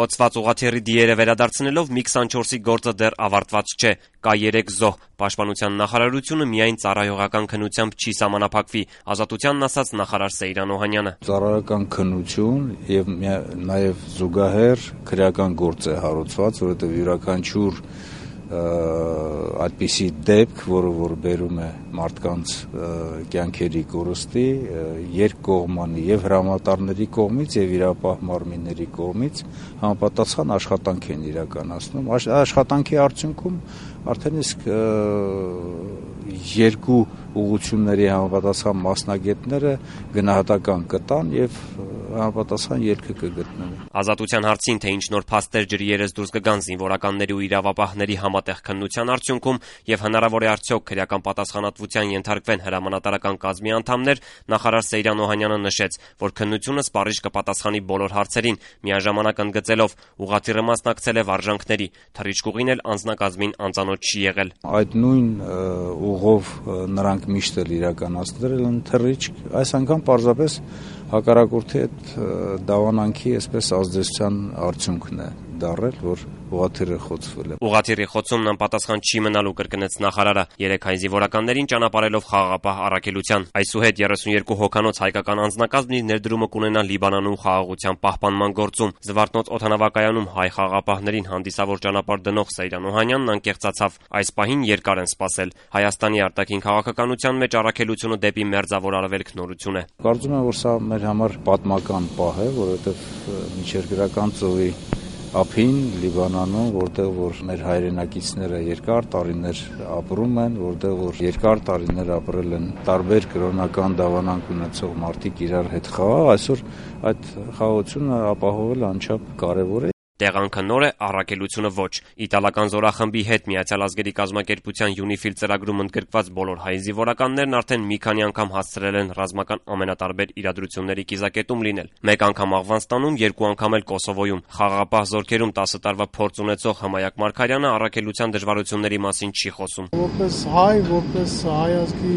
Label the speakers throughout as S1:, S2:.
S1: Խոցված ուղղաթիռի դիերը վերադարձնելով MiG-24-ի գործը դեռ ավարտված չէ։ Կա 3 զոհ։ Պաշտպանության նախարարությունը միայն ծառայողական քննությամբ չի սահմանափակվի, Ազատությանն ասաց նախարար Սեյրան Օհանյանը։
S2: Ծառայողական քննություն եւ նաեւ զուգահեռ քրեական գործ է հարուցված, որովհետեւ յուրաքանչյուր այդպիսի դեպք, որ բերում է մարդկանց կյանքերի կորստի, երկկողմանի եւ հրամանատարների կողմից եւ իրապահ մարմինների կողմից համապատասխան աշխատանք են իրականացնում։ Աշխատանքի արդյունքում արդեն իսկ երկու ուղղությունների համապատասխան մասնագետները գնահատական կտան եւ համապատասխան ելքը կգտնվի։
S1: Ազատության հարցին, թե ինչ նոր փաստեր ջրի երես դուրս կգան զինվորականների ու իրավապահների համատեղ քննության արդյունքում եւ հնարավոր է արդյոք քրեական պատասխանատվության ենթարկվեն հրամանատարական կազմի անդամներ, նախարար Սեյրան Օհանյանը նշեց, որ քննությունը սպառիչ կպատասխանի բոլոր հարցերին, միաժամանակ ընդգծելով ուղղաթիռը մասնակցել է վարժանքների, թռիչքուղին էլ անձնակազմին անծանոթ չի եղել։
S2: Այդ նույն ուղով նրանք միշտ էլ իրականացրել են թռիչք, այս անգամ պարզապես հակառակորդի այդ դավանանքի այսպես ազդեցության արդյունքն է դառել, որ ուղղաթիռը խոցվել է։
S1: Ուղղաթիռի խոցումն անպատասխան չի մնալու, կրկնեց նախարարը, 3 հայ զինվորականներին ճանապարհելով խաղաղապահ առաքելության։ Այսուհետ 32 հոգանոց հայկական անձնակազմն իր ներդրումը կունենա Լիբանանում խաղաղության պահպանման գործում։ Զվարթնոց օդանավակայանում հայ խաղաղապահներին հանդիսավոր ճանապարհ դնող Սեյրան Օհանյանն անկեղծացավ։ Այս պահին երկար են սպասել։ Հայաստանի արտաքին քաղաքականության մեջ առաքելությունը դեպի Մերձավոր Արևելք նորություն է։
S2: Կարծում եմ, որ սա մեր համար պատմական պահ է, որովհետև միջերկրական ծովի ափին Լիբանանում, որտեղ որ մեր հայրենակիցները երկար տարիներ ապրում են, որտեղ որ երկար տարիներ ապրել են տարբեր կրոնական դավանանք ունեցող մարդիկ իրար հետ խաղաղ, այսօր այդ խաղաղությունը ապահովելը անչափ կարևոր է։
S1: Տեղանքը նոր է, առաքելությունը ոչ։ Իտալական զորախմբի հետ Միացյալ Ազգերի կազմակերպության UNIFIL ծրագրում ընդգրկված բոլոր հայ զինվորականներն արդեն մի քանի անգամ հասցրել են ռազմական ամենատարբեր իրադրությունների կիզակետում լինել։ Մեկ անգամ Աֆղանստանում, 2 անգամ էլ Կոսովոյում։ Խաղաղապահ զորքերում 10 տարվա փորձ ունեցող Հմայակ Մարգարյանը առաքելության դժվարությունների մասին չի խոսում։
S3: Որպես հայ, որպես հայ ազգի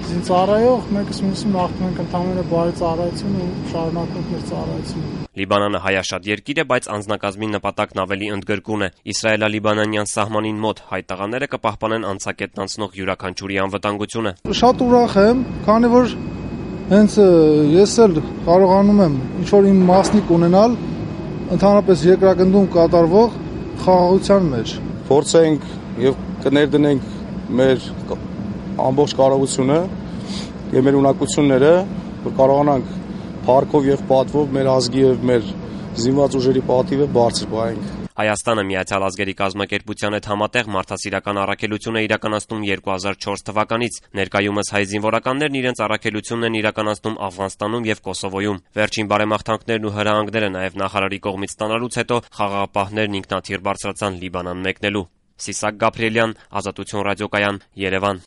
S3: զինծառայող, մեկս մյուսին աղթում ենք ընդհանրապես բարի ծառայություն ու շարունակենք մեր ծառայությունը։
S1: Լիբանանը հայաշատ երկիր է, բայց անձնակազմի նպատակն ավելի ընդգրկուն է։ Իսրայելա-լիբանանյան սահմանին մոտ հայ տղաները կպահպանեն անցակետն անցնող յուրաքանչյուրի անվտանգությունը։
S3: Շատ ուրախ եմ, քանի որ հենց ես էլ կարողանում եմ ինչ-որ իմ մասնիկ ունենալ ընդհանրապես երկրագնդում կատարվող խաղաղության մեջ։
S4: Փորձենք եւ կներդնենք մեր ամբողջ կարողությունը եւ մեր ունակությունները, որ կարողանանք փառքով եւ պատվով մեր ազգի եւ մեր զինված ուժերի պատիվը բարձր պահենք։
S1: Հայաստանը Միացյալ Ազգերի կազմակերպության հետ համատեղ մարդասիրական առաքելություն է իրականացնում 2004 թվականից։ Ներկայումս հայ զինվորականներն իրենց առաքելությունն են իրականացնում Աֆղանստանում եւ Կոսովոյում։ Վերջին բարեմաղթանքներն ու հրահանգները նաեւ նախարարի կողմից ստանալուց հետո խաղաղապահներն ինքնաթիռ բարձրացան Լիբանան մեկնելու։ Սիսակ Գաբրիելյան, Ազատություն ռադիոկայան, Երևան։